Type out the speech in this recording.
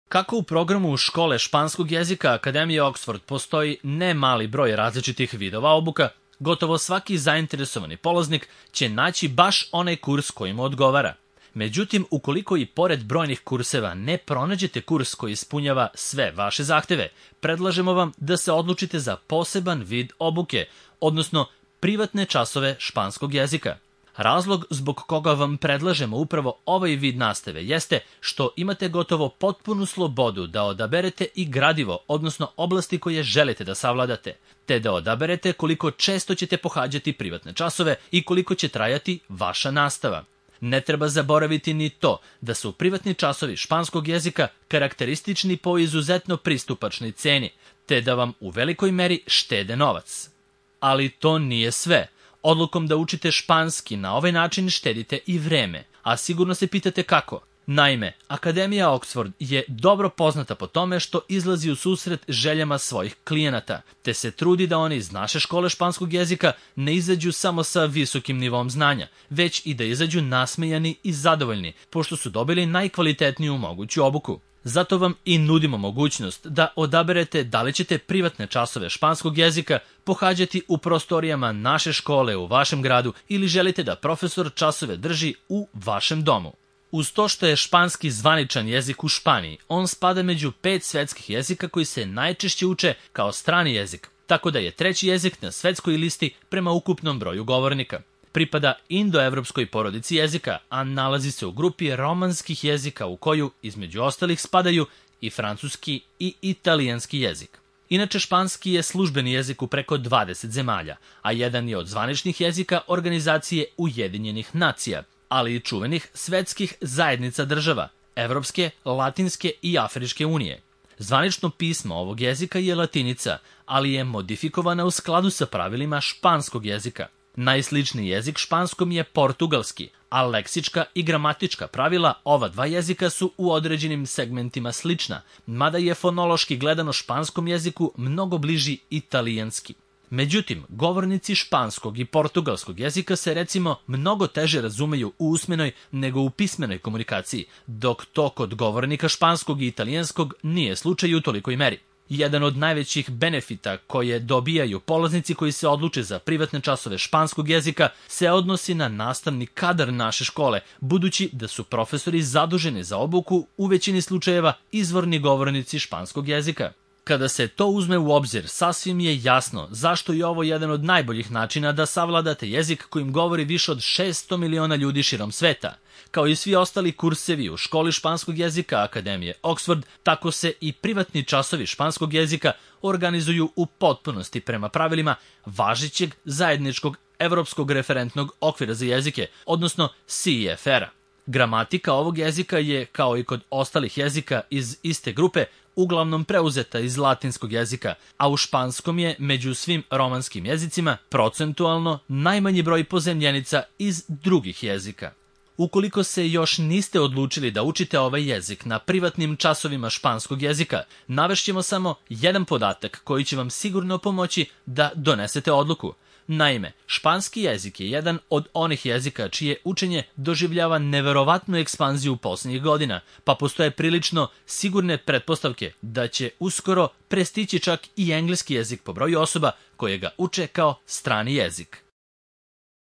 Kako u programu škole španskog jezika Akademije Oxford postoji ne mali broj različitih vidova obuka, gotovo svaki zainteresovani polaznik će naći baš onaj kurs koji mu odgovara. Međutim, ukoliko i pored brojnih kurseva ne pronađete kurs koji ispunjava sve vaše zahteve, predlažemo vam da se odlučite za poseban vid obuke, odnosno privatne časove španskog jezika. Razlog zbog koga vam predlažemo upravo ovaj vid nastave jeste što imate gotovo potpunu slobodu da odaberete i gradivo, odnosno oblasti koje želite da savladate, te da odaberete koliko često ćete pohađati privatne časove i koliko će trajati vaša nastava. Ne treba zaboraviti ni to da su privatni časovi španskog jezika karakteristični po izuzetno pristupačnoj ceni, te da vam u velikoj meri štede novac. Ali to nije sve. Odlukom da učite španski na ovaj način štedite i vreme, a sigurno se pitate kako. Naime, Akademija Oxford je dobro poznata po tome što izlazi u susret željama svojih klijenata, te se trudi da oni iz naše škole španskog jezika ne izađu samo sa visokim nivom znanja, već i da izađu nasmejani i zadovoljni, pošto su dobili najkvalitetniju moguću obuku. Zato vam i nudimo mogućnost da odaberete da li ćete privatne časove španskog jezika pohađati u prostorijama naše škole u vašem gradu ili želite da profesor časove drži u vašem domu. Uz to što je španski zvaničan jezik u Španiji, on spada među 5 svetskih jezika koji se najčešće uče kao strani jezik, tako da je treći jezik na svetskoj listi prema ukupnom broju govornika. Pripada indoevropskoj porodici jezika, a nalazi se u grupi romanskih jezika u koju, između ostalih, spadaju i francuski i italijanski jezik. Inače, španski je službeni jezik u preko 20 zemalja, a jedan je od zvaničnih jezika Organizacije Ujedinjenih nacija, ali i čuvenih svetskih zajednica država, Evropske, Latinske i Afričke unije. Zvanično pismo ovog jezika je latinica, ali je modifikovana u skladu sa pravilima španskog jezika. Najsličniji jezik španskom je portugalski, a leksička i gramatička pravila ova dva jezika su u određenim segmentima slična, mada je fonološki gledano španskom jeziku mnogo bliži italijanski. Međutim, govornici španskog i portugalskog jezika se recimo mnogo teže razumeju u usmenoj nego u pismenoj komunikaciji, dok to kod govornika španskog i italijanskog nije slučaj u tolikoj meri. Jedan od najvećih benefita koje dobijaju polaznici koji se odluče za privatne časove španskog jezika se odnosi na nastavni kadar naše škole, budući da su profesori zaduženi za obuku u većini slučajeva izvorni govornici španskog jezika. Kada se to uzme u obzir, sasvim je jasno zašto je ovo jedan od najboljih načina da savladate jezik kojim govori više od 600 miliona ljudi širom sveta. Kao i svi ostali kursevi u školi španskog jezika Akademije Oxford, tako se i privatni časovi španskog jezika organizuju u potpunosti prema pravilima važećeg zajedničkog evropskog referentnog okvira za jezike, odnosno CEFR-a. Gramatika ovog jezika je, kao i kod ostalih jezika iz iste grupe, uglavnom preuzeta iz latinskog jezika, a u španskom je među svim romanskim jezicima procentualno najmanji broj pozemljenica iz drugih jezika. Ukoliko se još niste odlučili da učite ovaj jezik na privatnim časovima španskog jezika, navešćemo samo jedan podatak koji će vam sigurno pomoći da donesete odluku. Naime, španski jezik je jedan od onih jezika čije učenje doživljava neverovatnu ekspanziju posljednjih godina, pa postoje prilično sigurne pretpostavke da će uskoro prestići čak i engleski jezik po broju osoba koje ga uče kao strani jezik.